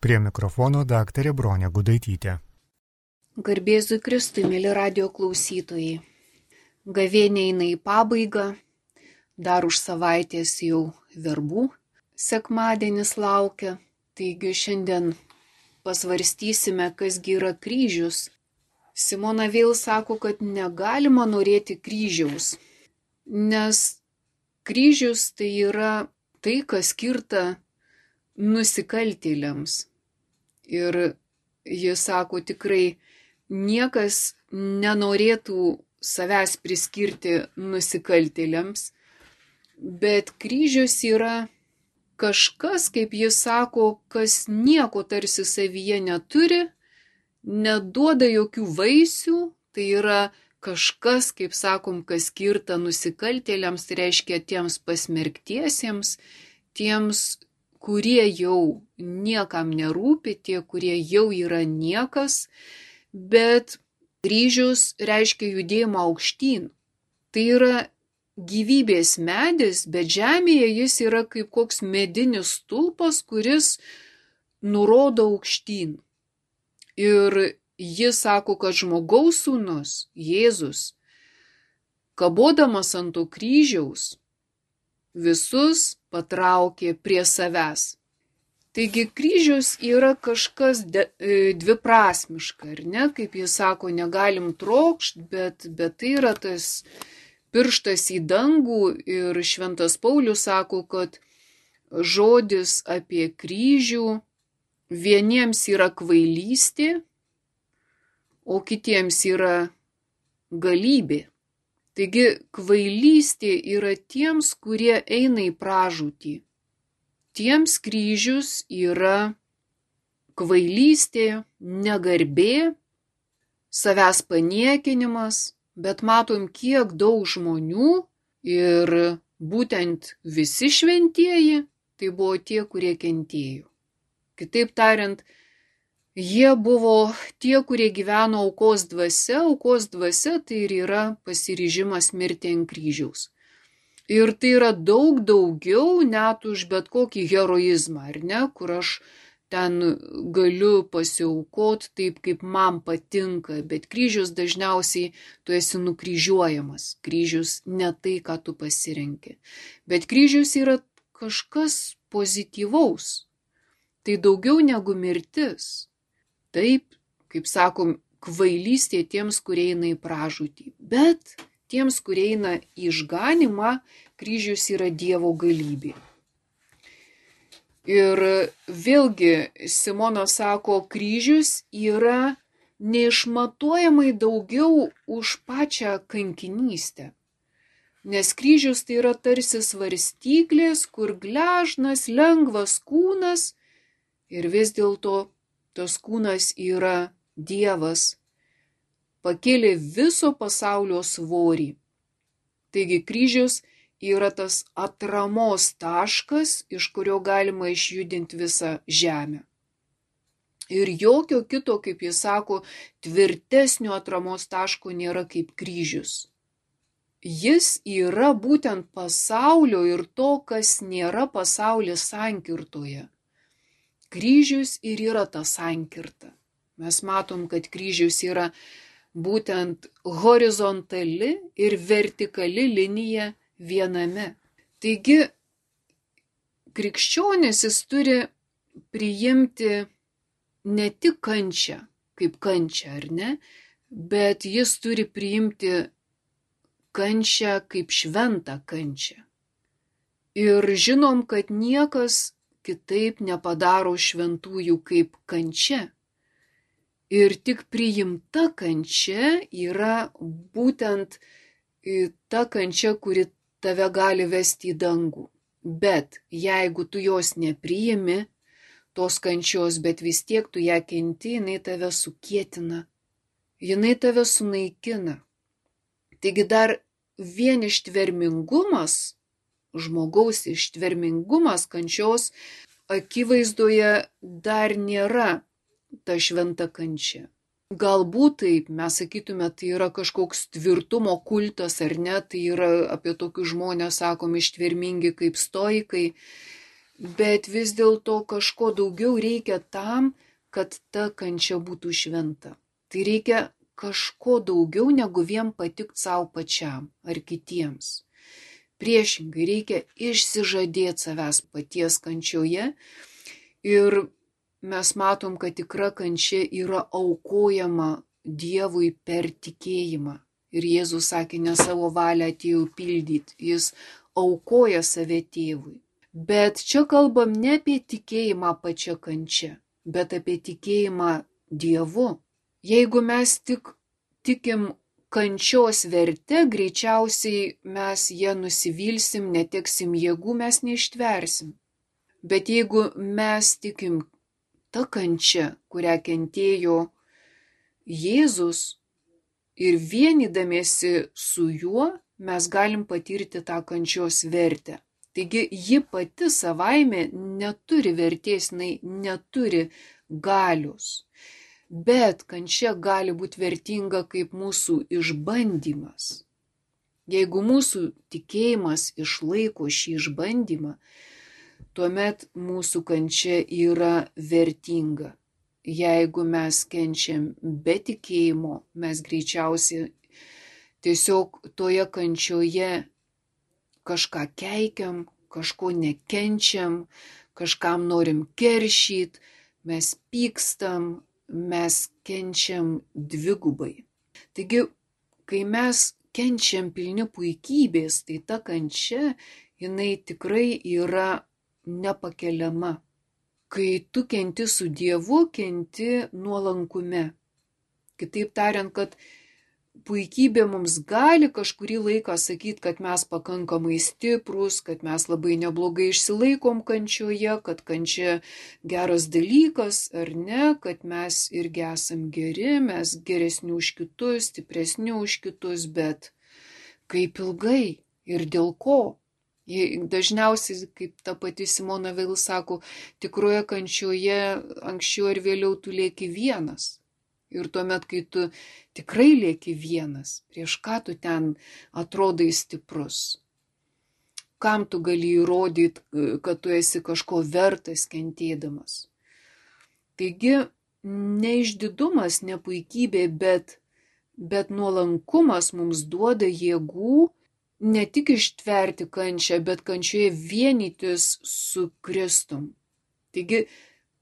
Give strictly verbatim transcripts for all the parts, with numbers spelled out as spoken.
Prie mikrofono daktarė Bronė Gudaitytė. Garbėzui Kristui, mėly radio klausytojai. Gavėnia eina į pabaigą, dar už savaitės jau verbų sekmadienis laukia. Taigi šiandien pasvarstysime, kasgi yra kryžius. Simona vėl sako, kad negalima norėti kryžiaus, nes kryžius tai yra tai, kas skirta nusikaltėliams. Ir jis sako, tikrai niekas nenorėtų savęs priskirti nusikaltėliams, bet kryžius yra kažkas, kaip jis sako, kas nieko tarsi savyje neturi, neduoda jokių vaisių, tai yra kažkas, kaip sakom, kas skirta nusikaltėliams, tai reiškia tiems pasmerktiesiems, tiems, kurie jau niekam nerūpi, tie, kurie jau yra niekas, bet kryžius reiškia judėjimą aukštyn. Tai yra gyvybės medis, bet žemėje jis yra kaip koks medinis stulpas, kuris nurodo aukštyn. Ir jis sako, kad žmogaus sūnus, Jėzus, kabodamas ant to kryžiaus, visus patraukė prie savęs. Taigi kryžius yra kažkas de, e, dviprasmiška, ar ne? Kaip jis sako, negalim trokšt, bet, bet tai yra tas pirštas į dangų ir Šventas Paulius sako, kad žodis apie kryžių vieniems yra kvailystė, o kitiems yra galybė. Taigi kvailystė yra tiems, kurie eina į pražūtį. Tiems kryžius yra kvailystė, negarbė, savęs paniekinimas, bet matom, kiek daug žmonių ir būtent visi šventieji, tai buvo tie, kurie kentėjo. Kitaip tariant, jie buvo tie, kurie gyveno aukos dvasia, aukos dvasia tai ir yra pasiryžimas mirti ant kryžiaus. Ir tai yra daug daugiau net už bet kokį heroizmą, ar ne, kur aš ten galiu pasiaukot taip, kaip man patinka, bet kryžius dažniausiai tu esi nukryžiuojamas, kryžius ne tai, ką tu pasirenki. Bet kryžius yra kažkas pozityvaus, tai daugiau negu mirtis. Taip, kaip sakom, kvailystė tiems, kurie eina į pražūtį, bet tiems, kurie eina į išganymą, kryžius yra Dievo galybė. Ir vėlgi Simona sako, kryžius yra neišmatuojamai daugiau už pačią kankinystę. Nes kryžius tai yra tarsi svarstyklės, kur gležnas, lengvas kūnas ir vis dėlto tas kūnas yra Dievas, pakėlė viso pasaulio svorį. Taigi kryžius yra tas atramos taškas, iš kurio galima išjudinti visą žemę. Ir jokio kito, kaip jis sako, tvirtesnio atramos taško nėra kaip kryžius. Jis yra būtent pasaulio ir to, kas nėra pasaulis sankirtoje. Kryžius ir yra ta sankirta. Mes matom, kad kryžius yra būtent horizontali ir vertikali linija viename. Taigi, krikščionis jis turi priimti ne tik kančią, kaip kančią, ar ne, bet jis turi priimti kančią kaip šventą kančią. Ir žinom, kad niekas kitaip nepadaro šventųjų kaip kančia. Ir tik priimta kančia yra būtent ta kančia, kuri tave gali vesti į dangų. Bet jeigu tu jos nepriimi, tos kančios, bet vis tiek tu ją kenti, jinai tave sukietina, jinai tave sunaikina. Taigi dar vien ištvermingumas, žmogaus ištvermingumas kančios akivaizdoje dar nėra ta šventa kančia. Galbūt taip, mes sakytume, tai yra kažkoks tvirtumo kultas ar ne, tai yra apie tokius žmonės, sakom, ištvermingi kaip stoikai, bet vis dėlto kažko daugiau reikia tam, kad ta kančia būtų šventa. Tai reikia kažko daugiau negu vien patikt savo pačiam ar kitiems. Priešingai reikia išsižadėti savęs paties kančioje ir mes matom, kad tikra kančia yra aukojama Dievui per tikėjimą. Ir Jėzus sakė, ne savo valią atėjau pildyti, jis aukoja save tėvui. Bet čia kalbam ne apie tikėjimą pačią kančią, bet apie tikėjimą Dievu. Jeigu mes tik tikim kančios verte, greičiausiai mes ją nusivilsim, neteksim jėgų, mes neištversim. Bet jeigu mes tikim ta kančia, kurią kentėjo Jėzus, ir vienydamiesi su juo mes galim patirti tą kančios vertę. Taigi ji pati savaime neturi vertės, jinai neturi galios. Bet kančia gali būti vertinga kaip mūsų išbandymas. Jeigu mūsų tikėjimas išlaiko šį išbandymą, tuomet mūsų kančia yra vertinga. Jeigu mes kenčiam be tikėjimo, mes greičiausiai tiesiog toje kančioje kažką keikiam, kažko nekenčiam, kažkam norim keršyt, mes pykstam, mes kenčiam dvigubai. Taigi, kai mes kenčiam pilni puikybės, tai ta kančia, jinai tikrai yra nepakeliama. Kai tu kenti su Dievu, kenti nuolankume. Kitaip tariant, kad puikybė mums gali kažkurį laiką sakyti, kad mes pakankamai stiprus, kad mes labai neblogai išsilaikom kančioje, kad kančia geras dalykas ar ne, kad mes irgi esam geri, mes geresni už kitus, stipresni už kitus, bet kaip ilgai ir dėl ko? Dažniausiai, kaip ta pati Simona Veil sako, tikroje kančioje anksčiau ar vėliau tu lieki vienas. Ir tuomet, kai tu tikrai lieki vienas, prieš ką tu ten atrodai stiprus? Kam tu gali įrodyti, kad tu esi kažko vertas kentėdamas? Taigi, ne išdidumas, ne puikybė, bet, bet nuolankumas mums duoda jėgų ne tik ištverti kančią, bet kančioje vienytis su Kristum. Taigi,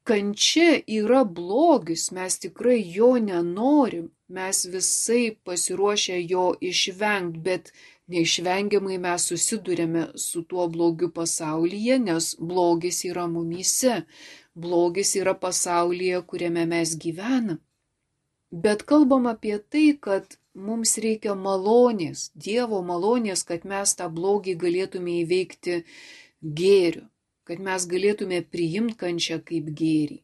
kančia yra blogis, mes tikrai jo nenorim, mes visai pasiruošę jo išvengti, bet neišvengiamai mes susidurėme su tuo blogiu pasaulyje, nes blogis yra mumyse, blogis yra pasaulyje, kuriame mes gyvename. Bet kalbam apie tai, kad mums reikia malonės, Dievo malonės, kad mes tą blogį galėtume įveikti gėriu, kad mes galėtume priimti kančią kaip gėrį.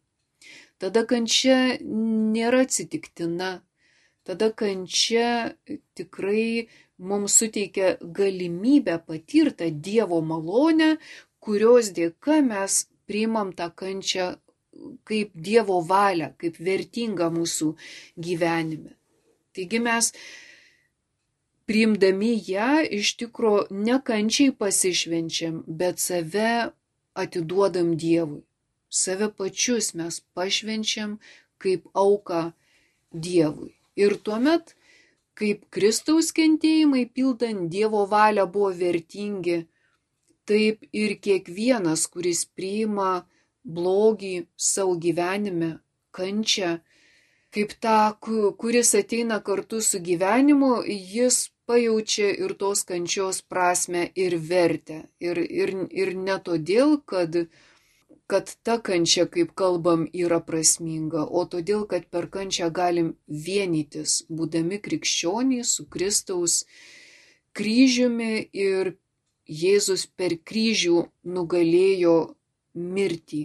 Tada kančia nėra atsitiktina, tada kančia tikrai mums suteikia galimybę patirtą Dievo malonę, kurios dėka mes priimam tą kančią kaip Dievo valią, kaip vertingą mūsų gyvenime. Taigi mes, priimdami ją, iš tikro ne kančiai pasišvenčiam, bet save atiduodam Dievui. Save pačius mes pašvenčiam kaip auką Dievui. Ir tuomet, kaip Kristaus kentėjimai pildant Dievo valią buvo vertingi, taip ir kiekvienas, kuris priima blogį savo gyvenime, kančią, kaip tą, kuris ateina kartu su gyvenimu, jis pajaučia ir tos kančios prasme ir vertę. Ir, ir, ir ne todėl, kad, kad ta kančia, kaip kalbam, yra prasminga, o todėl, kad per kančią galim vienytis, būdami krikščionys su Kristaus kryžiumi, ir Jėzus per kryžių nugalėjo mirtį.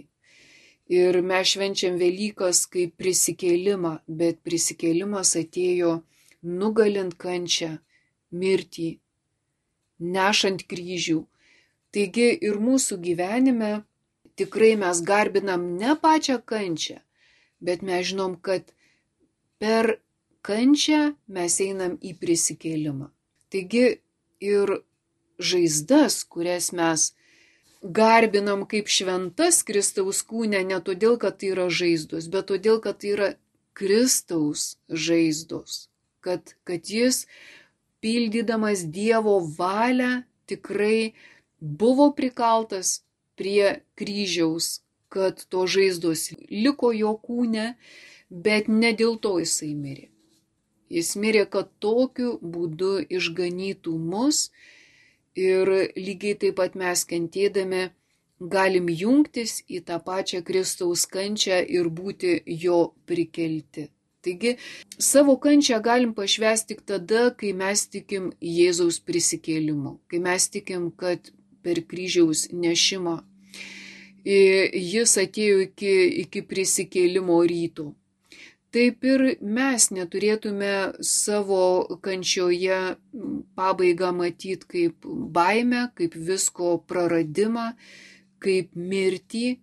Ir mes švenčiam Velykas kaip prisikėlimą, bet prisikėlimas atėjo nugalint kančią, mirtį, nešant kryžių. Taigi ir mūsų gyvenime tikrai mes garbinam ne pačią kančią, bet mes žinom, kad per kančią mes einam į prisikėlimą. Taigi ir žaizdas, kurias mes garbinam kaip šventas Kristaus kūne ne todėl, kad tai yra žaizdos, bet todėl, kad tai yra Kristaus žaizdos, kad, kad jis, pildydamas Dievo valią, tikrai buvo prikaltas prie kryžiaus, kad to žaizdos liko jo kūne, bet ne dėl to jisai mirė. Jis mirė, kad tokiu būdu išganytų mus ir lygiai taip pat mes kentėdami galim jungtis į tą pačią Kristaus kančią ir būti jo prikelti. Taigi, savo kančią galim pašvęsti tik tada, kai mes tikim Jėzaus prisikėlimu, kai mes tikim, kad per kryžiaus nešimą jis atėjo iki, iki prisikėlimo ryto. Taip ir mes neturėtume savo kančioje pabaigą matyti kaip baimę, kaip visko praradimą, kaip mirtį,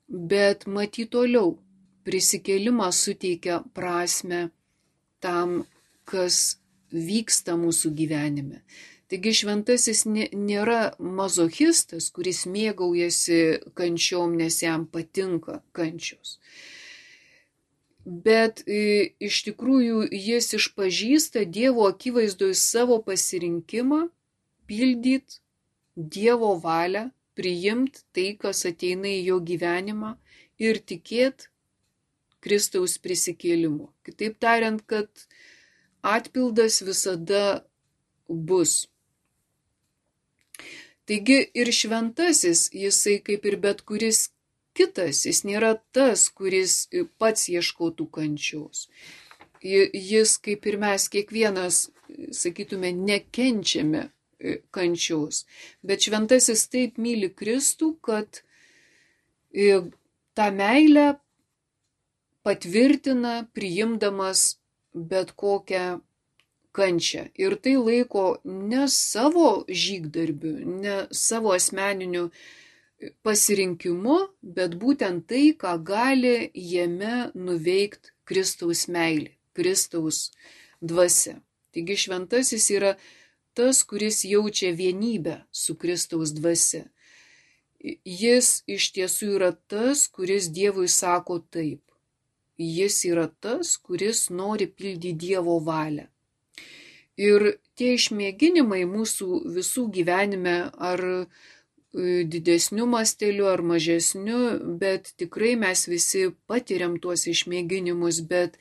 bet matyti toliau. Prisikėlimas suteikia prasme tam, kas vyksta mūsų gyvenime. Taigi šventasis nėra mazochistas, kuris mėgaujasi kančiom, nes jam patinka kančios. Bet e, iš tikrųjų jis išpažįsta Dievo akivaizdoje savo pasirinkimą pildyti Dievo valią, priimti tai, kas ateina į jo gyvenimą ir tikėti Kristaus prisikėlimu. Kitaip tariant, kad atpildas visada bus. Taigi ir šventasis, jisai kaip ir bet kuris kitas, jis nėra tas, kuris pats ieškotų kančios. Jis, kaip ir mes, kiekvienas, sakytume, nekenčiame kančios. Bet šventasis taip myli Kristų, kad tą meilę patvirtina, priimdamas bet kokią kančią. Ir tai laiko ne savo žygdarbiu, ne savo asmeniniu pasirinkimu, bet būtent tai, ką gali jame nuveikti Kristaus meilė, Kristaus dvasia. Taigi šventasis yra tas, kuris jaučia vienybę su Kristaus dvasia. Jis iš tiesų yra tas, kuris Dievui sako taip. Jis yra tas, kuris nori pildyti Dievo valią. Ir tie išmėginimai mūsų visų gyvenime, ar didesniu masteliu, ar mažesniu, bet tikrai mes visi patiriam tuos išmėginimus, bet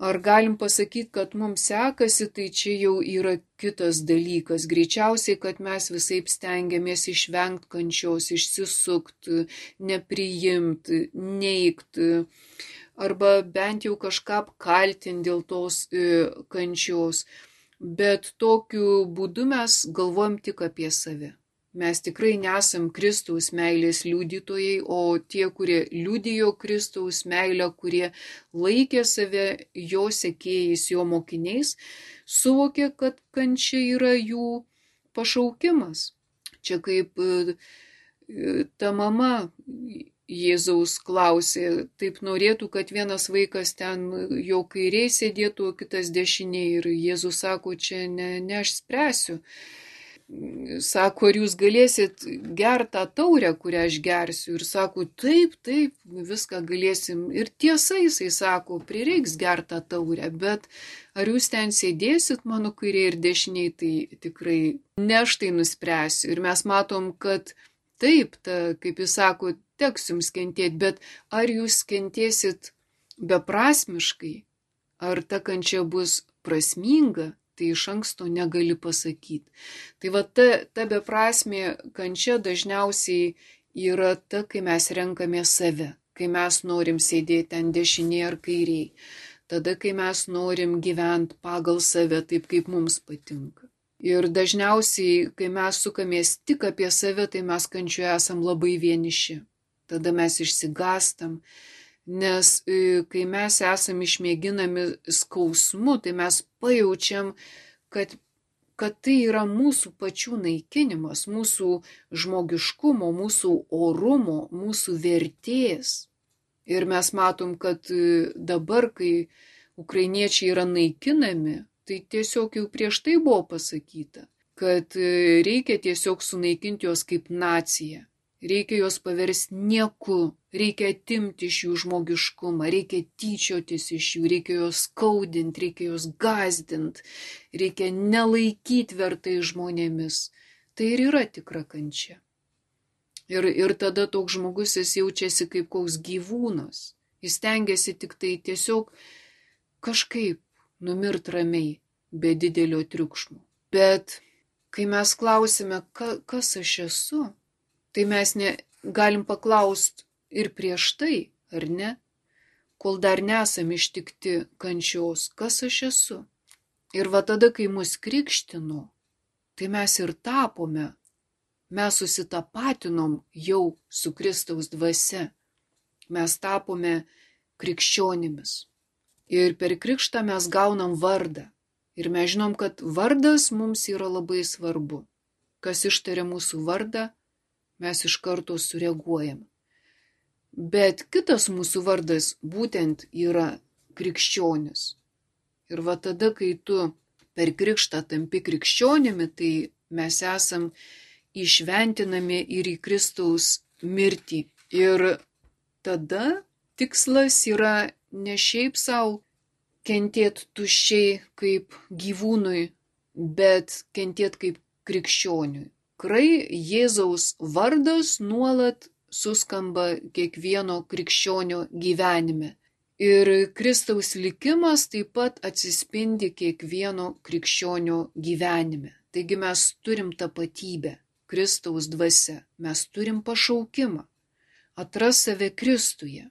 ar galim pasakyti, kad mums sekasi, tai čia jau yra kitas dalykas. Greičiausiai, kad mes visaip stengiamės išvengti kančios, išsisukti, nepriimti, neigti, arba bent jau kažką apkaltinti dėl tos e, kančios. Bet tokiu būdu mes galvojam tik apie save. Mes tikrai nesam Kristaus meilės liudytojai, o tie, kurie liudijo Kristaus meilę, kurie laikė save jo sekėjais, jo mokiniais, suvokė, kad kančia yra jų pašaukimas. Čia kaip e, ta mama Jėzaus klausė, taip norėtų, kad vienas vaikas ten jo kairiai sėdėtų, o kitas dešiniai. Ir Jėzus sako, čia ne, ne aš spręsiu. Sako, ar jūs galėsit gerti tą taurę, kurią aš gersiu? Ir sako, taip, taip, viską galėsim. Ir tiesa, jisai sako, prireiks gerti tą taurę, bet ar jūs ten sėdėsit mano kairiai ir dešiniai, tai tikrai ne aš tai nuspręsiu. Ir mes matom, kad taip, ta, kaip jis sako, teks jums kentėti, bet ar jūs kentėsit beprasmiškai, ar ta kančia bus prasminga, tai iš anksto negali pasakyti. Tai va ta, ta beprasmė kančia dažniausiai yra ta, kai mes renkame save, kai mes norim sėdėti ten dešinėje ar kairiai, tada, kai mes norim gyventi pagal save taip, kaip mums patinka. Ir dažniausiai, kai mes sukamės tik apie save, tai mes kančioje esam labai vieniši. Tada mes išsigastam, nes kai mes esam išmėginami skausmu, tai mes pajaučiam, kad, kad tai yra mūsų pačių naikinimas, mūsų žmogiškumo, mūsų orumo, mūsų vertės. Ir mes matom, kad dabar, kai ukrainiečiai yra naikinami, tai tiesiog jau prieš tai buvo pasakyta, kad reikia tiesiog sunaikinti juos kaip naciją. Reikia juos paversti nieku, reikia atimti iš jų žmogiškumą, reikia tyčiotis iš jų, reikia juos skaudinti, reikia juos gąsdinti, reikia nelaikyti vertai žmonėmis. Tai ir yra tikra kančia. Ir, ir tada toks žmogus jis jaučiasi kaip koks gyvūnas. Jis tengiasi tik tai tiesiog kažkaip numirt ramiai, be didelio triukšmo. Bet kai mes klausime, ka, kas aš esu, tai mes ne, galim paklausti ir prieš tai, ar ne, kol dar nesam ištikti kančios, kas aš esu. Ir va tada, kai mus krikštino, tai mes ir tapome, mes susitapatinom jau su Kristaus dvasia, mes tapome krikščionimis. Ir per krikštą mes gaunam vardą. Ir mes žinom, kad vardas mums yra labai svarbu. Kas ištaria mūsų vardą, mes iš karto sureaguojam. Bet kitas mūsų vardas būtent yra krikščionis. Ir va tada, kai tu per krikštą tampi krikščionimi, tai mes esam įšventinami ir į Kristaus mirtį. Ir tada tikslas yra ne šiaip savo kentėti tuščiai kaip gyvūnui, bet kentėti kaip krikščioniui. Tikrai Jėzaus vardas nuolat suskamba kiekvieno krikščionio gyvenime. Ir Kristaus likimas taip pat atsispindi kiekvieno krikščionio gyvenime. Taigi mes turim tapatybę, Kristaus dvasia, mes turim pašaukimą, atras save Kristuje.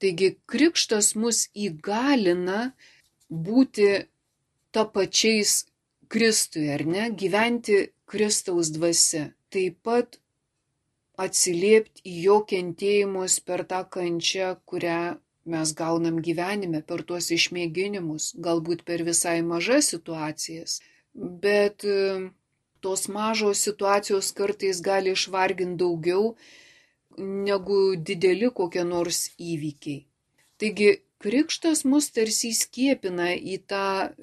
Taigi krikštas mus įgalina būti tapačiais Kristui, ar ne, gyventi Kristaus dvasia, taip pat atsiliepti į jo kentėjimus per tą kančią, kurią mes gaunam gyvenime, per tuos išmėginimus, galbūt per visai mažas situacijas, bet tos mažos situacijos kartais gali išvarginti daugiau negu dideli kokie nors įvykiai. Taigi krikštas mus tarsi skiepina į tą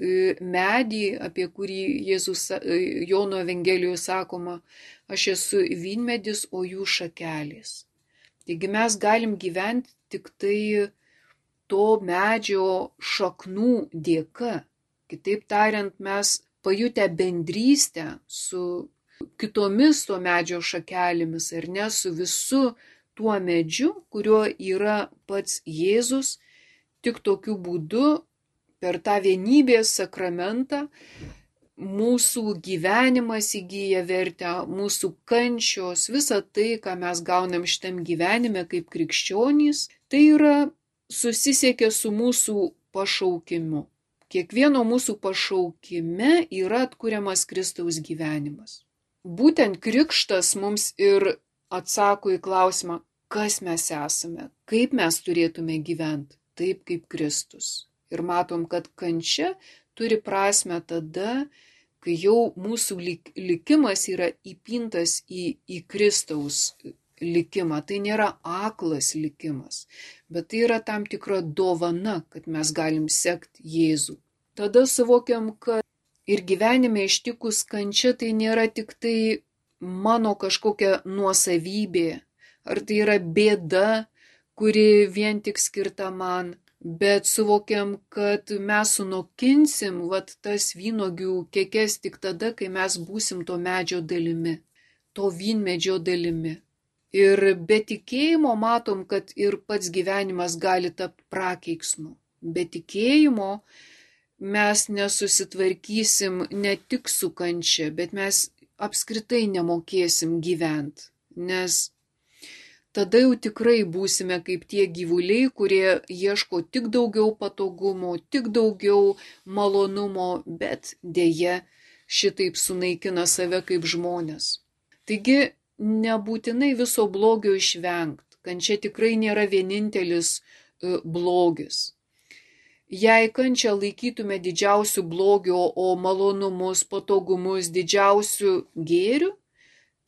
medį, apie kurį Jėzus Jono Evangelijoje sakoma, aš esu vynmedis, o jūs šakelės. Taigi mes galim gyventi tik tai to medžio šaknų dėka. Kitaip tariant, mes pajutę bendrystę su kitomis to medžio šakelėmis, ar ne, su visu tuo medžiu, kuriuo yra pats Jėzus. Tik tokiu būdu, per tą vienybės sakramentą, mūsų gyvenimas įgyja vertę, mūsų kančios, visa tai, ką mes gaunam šitam gyvenime kaip krikščionys, tai yra susisiekia su mūsų pašaukimu. Kiekvieno mūsų pašaukime yra atkuriamas Kristaus gyvenimas. Būtent krikštas mums ir atsako į klausimą, kas mes esame, kaip mes turėtume gyventi. Taip kaip Kristus. Ir matom, kad kančia turi prasme tada, kai jau mūsų likimas yra įpintas į, į Kristaus likimą. Tai nėra aklas likimas, bet tai yra tam tikra dovana, kad mes galim sekti Jėzų. Tada suvokiam, kad ir gyvenime ištikus kančia tai nėra tik tai mano kažkokia nuosavybė, ar tai yra bėda, kuri vien tik skirta man, bet suvokiam, kad mes sunokinsim vat tas vynuogių kekes tik tada, kai mes būsim to medžio dalimi, to vynmedžio dalimi. Ir be tikėjimo matom, kad ir pats gyvenimas gali tapti prakeiksmu. Be tikėjimo mes nesusitvarkysim ne tik su kančia, bet mes apskritai nemokėsim gyventi, nes tada jau tikrai būsime kaip tie gyvuliai, kurie ieško tik daugiau patogumo, tik daugiau malonumo, bet dėja šitaip sunaikina save kaip žmonės. Taigi nebūtinai viso blogio išvengti. Kančia tikrai nėra vienintelis blogis. Jei kančią laikytume didžiausių blogio, o malonumus, patogumus didžiausių gėrių,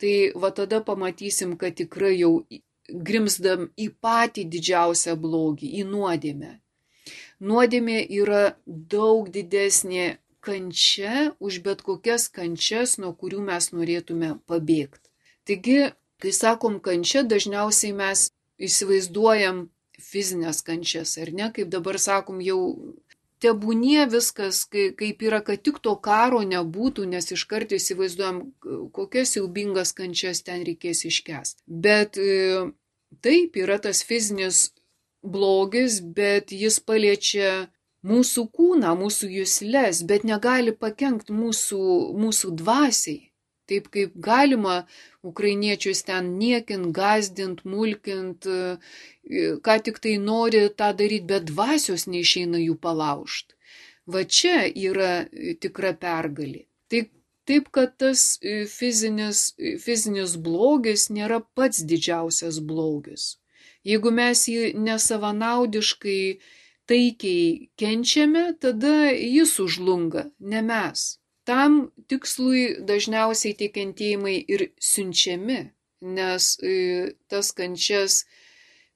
tai va tada pamatysim, kad tikrai jau grimzdam į patį didžiausią blogį, į nuodėmę. Nuodėmė yra daug didesnė kančia už bet kokias kančias, nuo kurių mes norėtume pabėgti. Taigi, kai sakom kančia, dažniausiai mes įsivaizduojam fizinės kančias, ar ne, kaip dabar sakom, jau tebūnie viskas, kaip yra, kad tik to karo nebūtų, nes iškart įsivaizduojam, kokias siaubingas kančias ten reikės iškęsti. Bet taip, yra tas fizinis blogis, bet jis paliečia mūsų kūną, mūsų jusles, bet negali pakenkti mūsų, mūsų dvasiai. Taip kaip galima ukrainiečius ten niekint, gazdint, mulkint, ką tik tai nori tą daryti, bet dvasios neišeina jų palaužti. Va čia yra tikra pergalė. Taip, taip kad tas fizinis, fizinis blogis nėra pats didžiausias blogis. Jeigu mes jį nesavanaudiškai, taikiai kenčiame, tada jis užlunga, ne mes. Tam tikslui dažniausiai tie kentėjimai ir siunčiami, nes tas kančias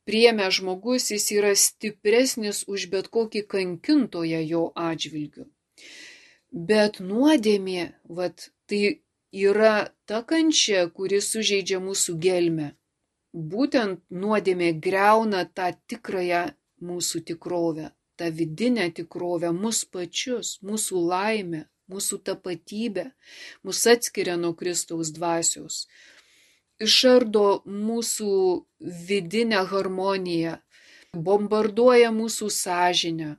priėmė žmogus, jis yra stipresnis už bet kokį kankintoją jo atžvilgiu. Bet nuodėmė, vat, tai yra ta kančia, kuri sužeidžia mūsų gelmę. Būtent nuodėmė griauna tą tikrąją mūsų tikrovę, tą vidinę tikrovę, mus pačius, mūsų laimę, mūsų tapatybę, mus atskiria nuo Kristaus dvasios, išardo mūsų vidinę harmoniją, bombarduoja mūsų sąžinę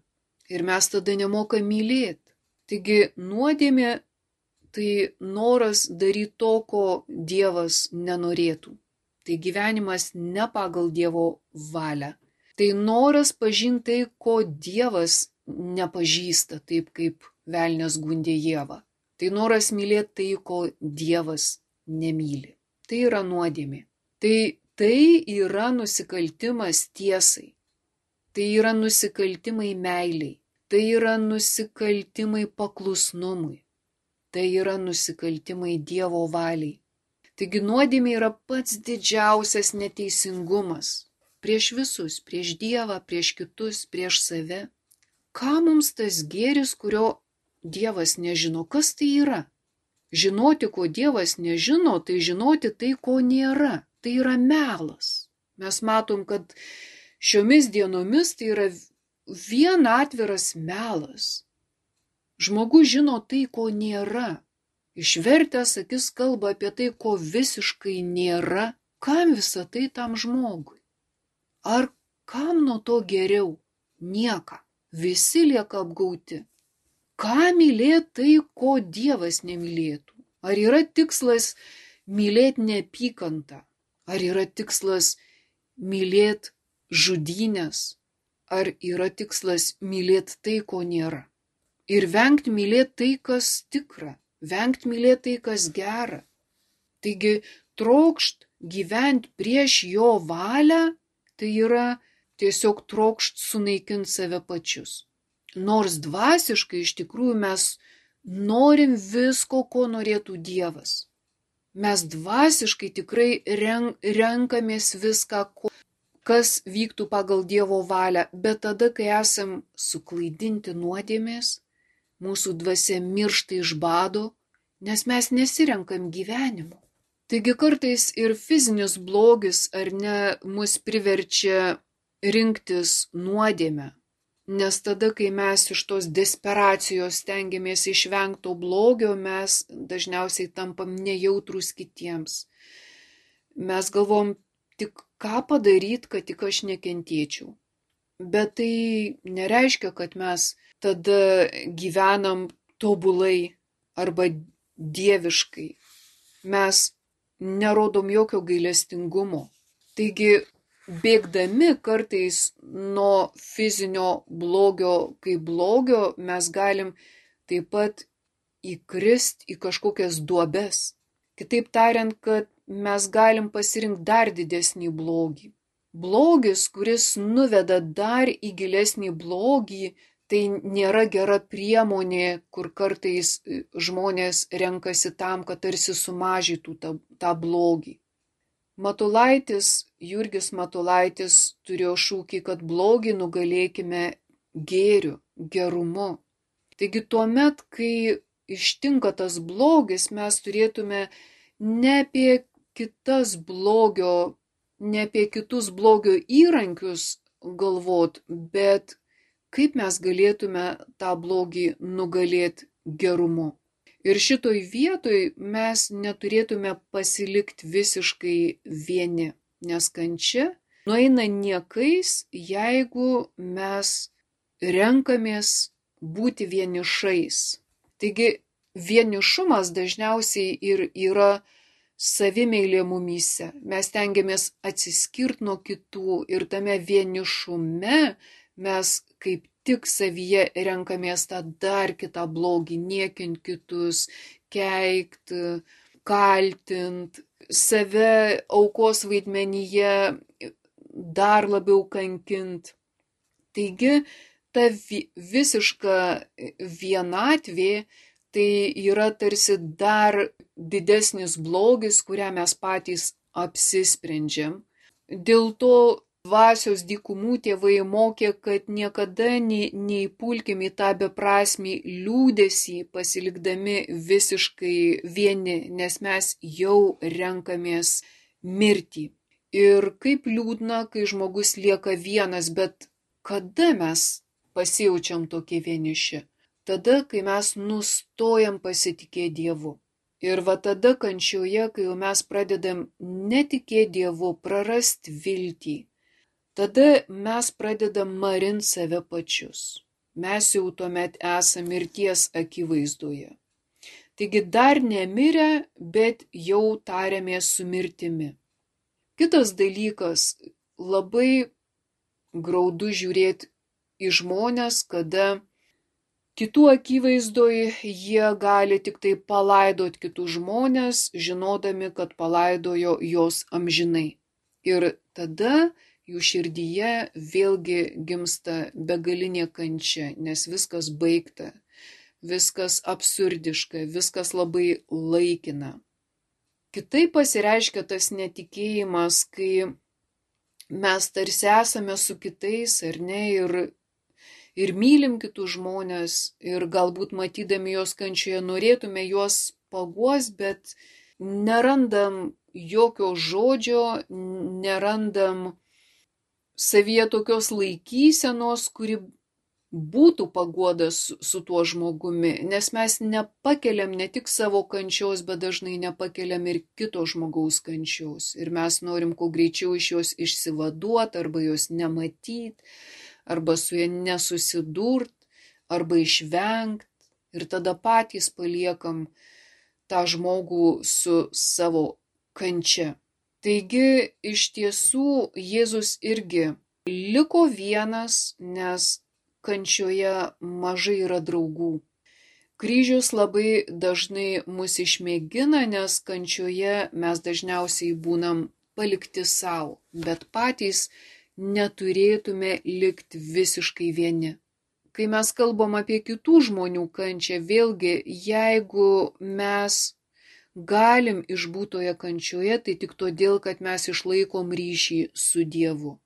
ir mes tada nemokam mylėti. Taigi nuodėmė tai noras daryti to, ko Dievas nenorėtų. Tai gyvenimas ne pagal Dievo valią. Tai noras pažinti tai, ko Dievas nepažįsta, taip kaip velnias gundė Ievą. Tai noras mylėti tai, ko Dievas nemyli. Tai yra nuodėmė. Tai, tai yra nusikaltimas tiesai. Tai yra nusikaltimai meiliai. Tai yra nusikaltimai paklusnumui. Tai yra nusikaltimai Dievo valiai. Taigi nuodėmė yra pats didžiausias neteisingumas. Prieš visus, prieš Dievą, prieš kitus, prieš save. Ką mums tas gėris, kurio Dievas nežino, kas tai yra? Žinoti, ko Dievas nežino, tai žinoti tai, ko nėra. Tai yra melas. Mes matom, kad šiomis dienomis tai yra vien atviras melas. Žmogus žino tai, ko nėra. Išvertęs akis kalba apie tai, ko visiškai nėra. Kam visa tai tam žmogui? Ar kam nuo to geriau? Nieka. Visi lieka apgauti. Ką mylėti tai, ko Dievas nemylėtų? Ar yra tikslas mylėti neapykantą? Ar yra tikslas mylėti žudynės? Ar yra tikslas mylėti tai, ko nėra? Ir vengti mylėti tai, kas tikra. Vengti mylėti tai, kas gera. Taigi trokšt gyventi prieš jo valią, tai yra tiesiog trokšt sunaikinti save pačius. Nors dvasiškai iš tikrųjų mes norim visko, ko norėtų Dievas. Mes dvasiškai tikrai renk, renkamės viską, ko, kas vyktų pagal Dievo valią, bet tada, kai esam suklaidinti nuodėmės, mūsų dvasia miršta iš bado, nes mes nesirenkam gyvenimo. Taigi kartais ir fizinis blogis ar ne mus priverčia rinktis nuodėmę. Nes tada, kai mes iš tos desperacijos stengiamės išvengto blogio, mes dažniausiai tampam nejautrus kitiems. Mes galvom tik ką padaryti, kad tik aš nekentėčiau. Bet tai nereiškia, kad mes tada gyvenam tobulai arba dieviškai. Mes nerodom jokio gailestingumo. Taigi, bėgdami kartais nuo fizinio blogio kaip blogio, mes galim taip pat įkrist į kažkokias duobes. Kitaip tariant, kad mes galim pasirinkti dar didesnį blogį. Blogis, kuris nuveda dar į gilesnį blogį, tai nėra gera priemonė, kur kartais žmonės renkasi tam, kad tarsi sumažytų tą, tą blogį. Matulaitis, Jurgis Matulaitis turėjo šūkį, kad blogį nugalėkime gėriu, gerumu. Taigi tuomet, kai ištinka tas blogis, mes turėtume ne apie kitas blogio, ne apie kitus blogio įrankius galvot, bet kaip mes galėtume tą blogį nugalėti gerumu. Ir šitoj vietoj mes neturėtume pasilikti visiškai vieni, nes kančia nueina niekais, jeigu mes renkamės būti vienišais. Taigi vienišumas dažniausiai ir yra savimeilė mumyse. Mes tengiamės atsiskirti nuo kitų ir tame vienišume mes kaip tik savyje renkamės tą dar kitą blogį, niekint kitus, keikt, kaltint, save aukos vaidmenyje dar labiau kankint. Taigi, ta visiška vienatvė tai yra tarsi dar didesnis blogis, kurią mes patys apsisprendžiam. Dėl to dvasios dykumų tėvai mokė, kad niekada neįpulkim į tą beprasmį liūdesį, pasilikdami visiškai vieni, nes mes jau renkamės mirtį. Ir kaip liūdna, kai žmogus lieka vienas, bet kada mes pasijaučiam tokie vieniši? Tada, kai mes nustojam pasitikėti Dievu. Ir va tada kančioje, kai jau mes pradedam netikėti Dievu, prarasti viltį, tada mes pradedam marint save pačius. Mes jau tuomet esame mirties akivaizdoje. Taigi dar nemirę, bet jau tariamės su mirtimi. Kitas dalykas, labai graudu žiūrėti į žmonės, kada kitų akivaizdoj jie gali tik tai palaidoti kitus žmonės, žinodami, kad palaidojo jos amžinai. Ir tada jų širdyje vėlgi gimsta begalinė kančia, nes viskas baigta, viskas absurdiška, viskas labai laikina. Kitaip pasireiškia tas netikėjimas, kai mes tarsi esame su kitais, ar ne, ir, ir mylim kitus žmonės, ir galbūt matydami jos kančioje norėtume juos paguos, bet nerandam jokio žodžio, nerandam savyje tokios laikysenos, kuri būtų paguoda su, su tuo žmogumi, nes mes nepakeliam ne tik savo kančios, bet dažnai nepakeliam ir kito žmogaus kančios. Ir mes norim kuo greičiau iš jos išsivaduoti, arba jos nematyti, arba su ja nesusidurt, arba išvengt. Ir tada patys paliekam tą žmogų su savo kančia. Taigi, iš tiesų, Jėzus irgi liko vienas, nes kančioje mažai yra draugų. Kryžius labai dažnai mus išmėgina, nes kančioje mes dažniausiai būnam palikti savo, bet patys neturėtume likti visiškai vieni. Kai mes kalbam apie kitų žmonių kančią, vėlgi, jeigu mes galim išbūti toje kančioje, tai tik todėl, kad mes išlaikom ryšį su Dievu.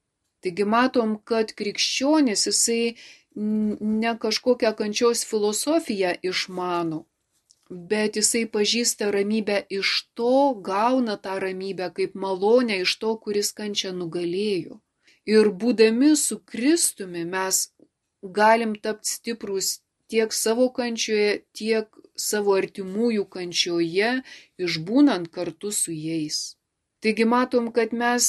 Taigi matom, kad krikščionis jisai ne kažkokią kančios filosofiją išmano, bet jisai pažįsta ramybę iš to, gauna tą ramybę kaip malonę iš to, kuris kančią nugalėjo. Ir būdami su Kristumi mes galim tapti stiprus tiek savo kančioje, tiek savo artimųjų kančioje, išbūnant kartu su jais. Taigi matom, kad mes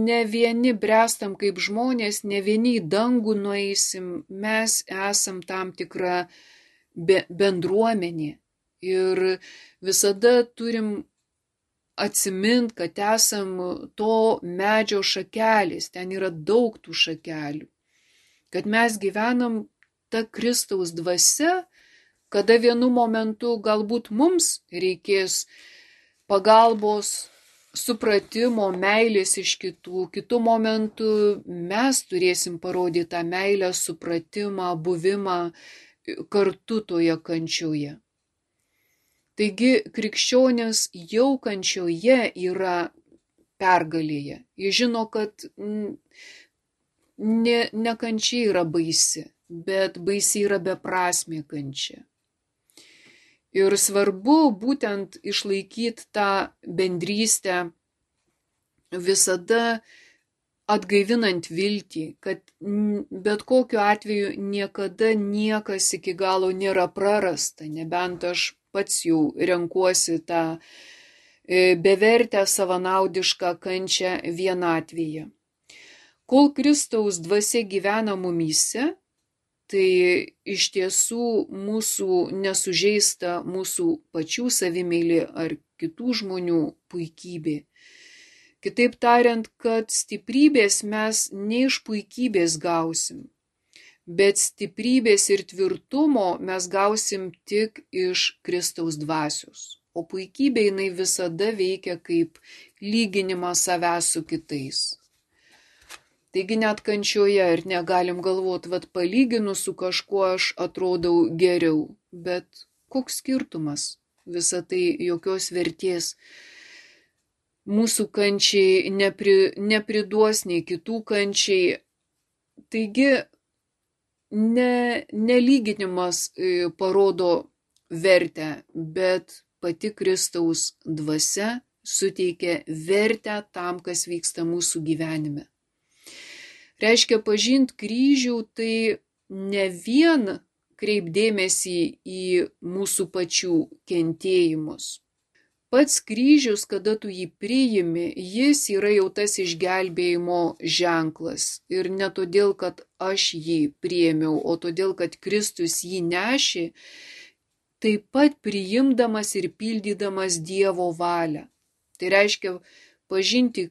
ne vieni brestam kaip žmonės, ne vieni į dangų nueisim, mes esam tam tikra be, bendruomenė. Ir visada turim atsimint, kad esam to medžio šakelės, ten yra daug tų šakelių. Kad mes gyvenam ta Kristaus dvasia, kada vienu momentu galbūt mums reikės pagalbos, supratimo, meilės iš kitų, kitų momentų mes turėsim parodyti tą meilę, supratimą, buvimą kartu toje kančioje. Taigi krikščionis jau kančioje yra pergalėje. Jis žino, kad ne, ne kančia yra baisi, bet baisiai yra beprasmė kančia. Ir svarbu būtent išlaikyti tą bendrystę, visada atgaivinant viltį, kad bet kokiu atveju niekada niekas iki galo nėra prarasta, nebent aš pats jau renkuosi tą bevertę savanaudišką kančią vienatvėje. Kol Kristaus dvasia gyvena mumyse, tai iš tiesų mūsų nesužeista mūsų pačių savimeilė ar kitų žmonių puikybė. Kitaip tariant, kad stiprybės mes ne iš puikybės gausim, bet stiprybės ir tvirtumo mes gausim tik iš Kristaus dvasios. O puikybė jinai visada veikia kaip lyginimas savęs su kitais. Taigi net kančioje ir negalim galvoti, vad palyginus su kažkuo aš atrodau geriau, bet koks skirtumas, visa tai jokios vertės mūsų kančiai nepri, nepriduos nei kitų kančiai. Taigi ne, nelyginimas parodo vertę, bet pati Kristaus dvasia suteikia vertę tam, kas vyksta mūsų gyvenime. Reiškia, pažint kryžių tai ne vien kreipdėmėsi į mūsų pačių kentėjimus. Pats kryžius, kada tu jį priimi, jis yra jau tas išgelbėjimo ženklas. Ir ne todėl, kad aš jį priėmiau, o todėl, kad Kristus jį nešė, taip pat priimdamas ir pildydamas Dievo valią. Tai reiškia pažinti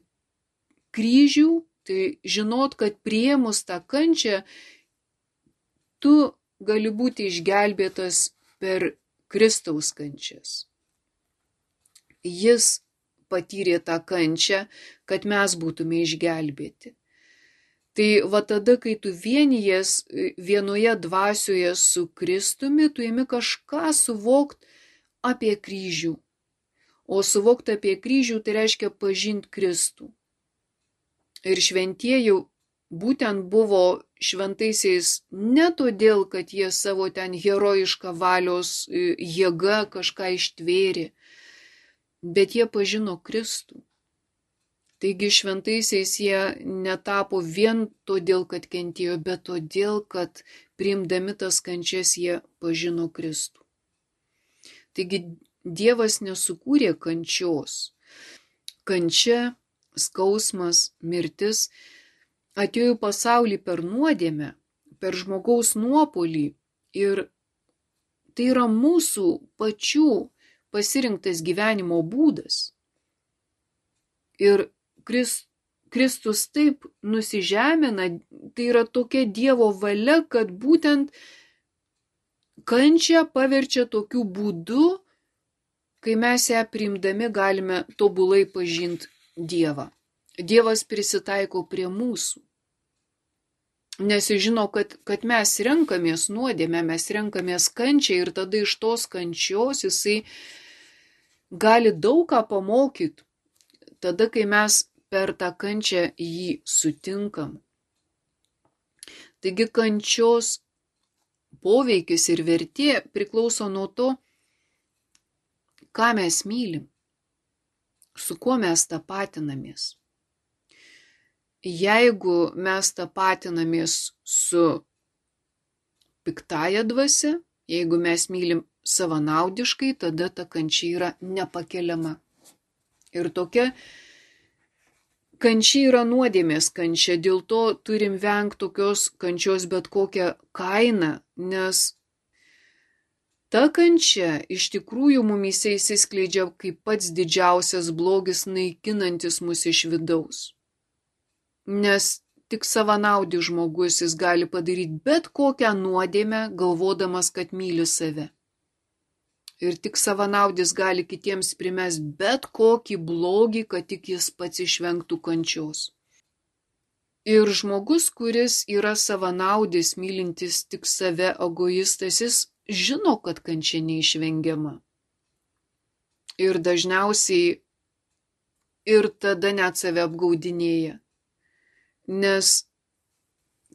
kryžių, tai žinot, kad priėmus tą kančią, tu gali būti išgelbėtas per Kristaus kančias. Jis patyrė tą kančią, kad mes būtume išgelbėti. Tai va tada, kai tu vienies vienoje dvasioje su Kristumi, tu imi kažką suvokti apie kryžių. O suvokti apie kryžių tai reiškia pažinti Kristų. Ir šventieji būtent buvo šventaisiais ne todėl, kad jie savo ten herojišką valios jėgą kažką ištvėrė, bet jie pažino Kristų. Taigi šventaisiais jie netapo vien todėl, kad kentėjo, bet todėl, kad priimdami tas kančias jie pažino Kristų. Taigi Dievas nesukūrė kančios. Kančia, skausmas, mirtis atėjo į pasaulį per nuodėmę, per žmogaus nuopolį ir tai yra mūsų pačių pasirinktas gyvenimo būdas. Ir Kristus taip nusižemina, tai yra tokia Dievo valia, kad būtent kančią paverčia tokiu būdu, kai mes ją priimdami galime tobulai pažinti Dievą. Dievas prisitaiko prie mūsų. Nes jis žino, kad, kad mes renkamės nuodėmę, mes renkamės kančią ir tada iš tos kančios jisai gali daug ką pamokyti. Tada, kai mes per tą kančią jį sutinkam. Taigi kančios poveikis ir vertė priklauso nuo to, ką mes mylim, su kuo mes tapatinamės. Jeigu mes tapatinamės su piktaja dvasia, jeigu mes mylim savanaudiškai, tada ta kančia yra nepakeliama. Ir tokia kančia yra nuodėmės kančia, dėl to turim vengti tokios kančios bet kokią kainą, nes ta kančia iš tikrųjų mumyse įsiskleidžia kaip pats didžiausias blogis, naikinantis mus iš vidaus. Nes tik savanaudis žmogus jis gali padaryti bet kokią nuodėmę, galvodamas, kad myli save. Ir tik savanaudis gali kitiems primest bet kokį blogį, kad tik jis pats išvengtų kančios. Ir žmogus, kuris yra savanaudis, mylintis tik save, egoistas, jis žino, kad kančia neišvengiama. Ir dažniausiai ir tada net save apgaudinėja. Nes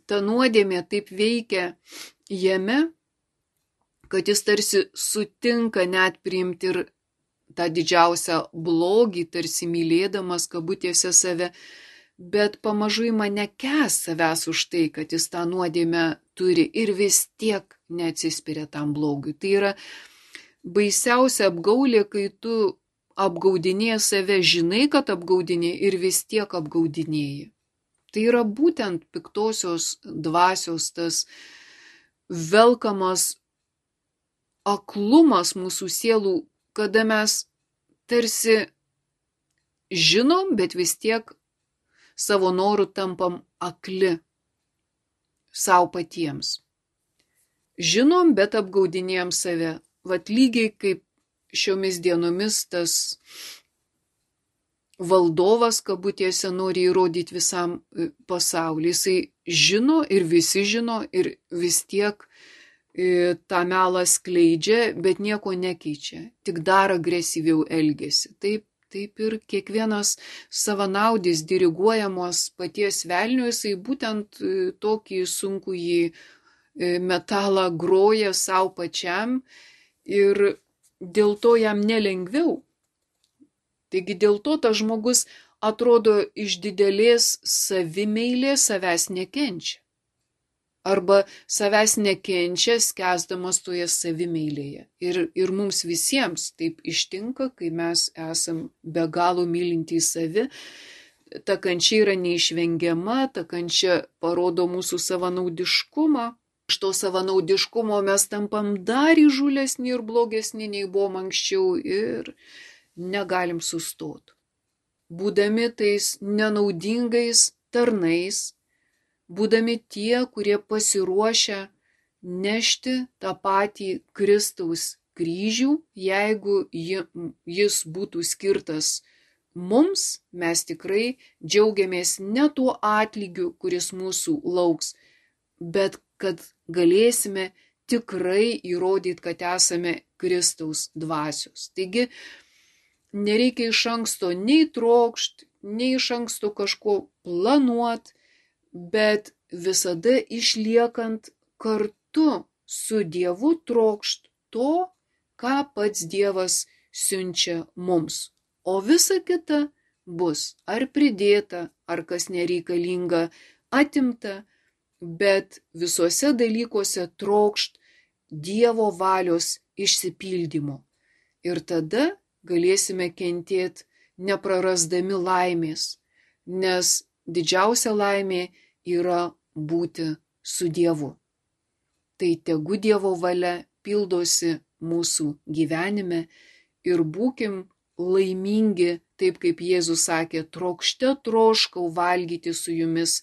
ta nuodėmė taip veikia jame, kad jis tarsi sutinka net priimti ir tą didžiausią blogį, tarsi mylėdamas kabutėse save, bet pamažu ima nekęs savęs už tai, kad jis tą nuodėmę turi ir vis tiek neatsispiria tam blogiui. Tai yra baisiausia apgaulė, kai tu apgaudinėji save, žinai, kad apgaudinėji ir vis tiek apgaudinėji. Tai yra būtent piktosios dvasios tas velkamas aklumas mūsų sielų, kada mes tarsi žinom, bet vis tiek savo norų tampam akli savo patiems. Žinom, bet apgaudinėjom save. Vat lygiai kaip šiomis dienomis tas valdovas kabutėse nori įrodyti visam pasauliui. Jisai žino ir visi žino ir vis tiek tą melą skleidžia, bet nieko nekeičia, tik dar agresyviau elgiasi. Taip, taip ir kiekvienas savanaudis diriguojamos paties velnio, jisai būtent tokį sunkųjį metalą groja savo pačiam ir dėl to jam nelengviau. Taigi dėl to tas žmogus atrodo iš didelės savimeilės savęs nekenčia. Arba savęs nekenčia, skęsdamas toje savimeilėje. Ir, ir mums visiems taip ištinka, kai mes esam be galo mylintys savi. Ta kančia yra neišvengiama, ta kančia parodo mūsų savanaudiškumą. Iš to savanaudiškumo mes tampam dar įžūlesni ir blogesni, nei buvom anksčiau ir negalim sustoti. Būdami tais nenaudingais tarnais, būdami tie, kurie pasiruošia nešti tą patį Kristaus kryžių, jeigu jis būtų skirtas mums, mes tikrai džiaugiamės ne tuo atlygiu, kuris mūsų lauks, bet kad galėsime tikrai įrodyti, kad esame Kristaus dvasios. Taigi, nereikia iš anksto nei trokšt, nei iš anksto kažko planuot, bet visada išliekant kartu su Dievu trokšt to, ką pats Dievas siunčia mums. O visa kita bus ar pridėta, ar kas nereikalinga atimta, bet visuose dalykuose trokšt Dievo valios išsipildymo. Ir tada galėsime kentėti neprarasdami laimės, nes didžiausia laimė yra būti su Dievu. Tai tegu Dievo valia pildosi mūsų gyvenime ir būkim laimingi, taip kaip Jėzus sakė, trokšte troškau valgyti su jumis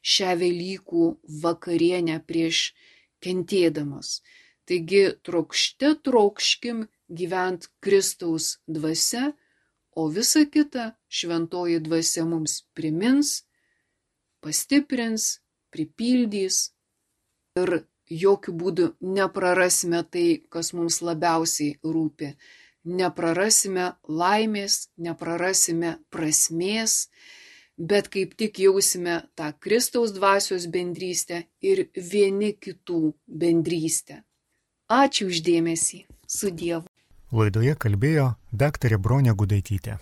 šią Velykų vakarienę prieš kentėdamas. Taigi trokšte trokškim gyvent Kristaus dvasia, o visa kita šventoji dvasia mums primins, pastiprins, pripildys ir jokių būdų neprarasime tai, kas mums labiausiai rūpi. Neprarasime laimės, neprarasime prasmės, bet kaip tik jausime tą Kristaus dvasios bendrystę ir vieni kitų bendrystę. Ačiū už dėmesį. Su Dievu. Laidoje kalbėjo daktarė Bronė Gudaitytė.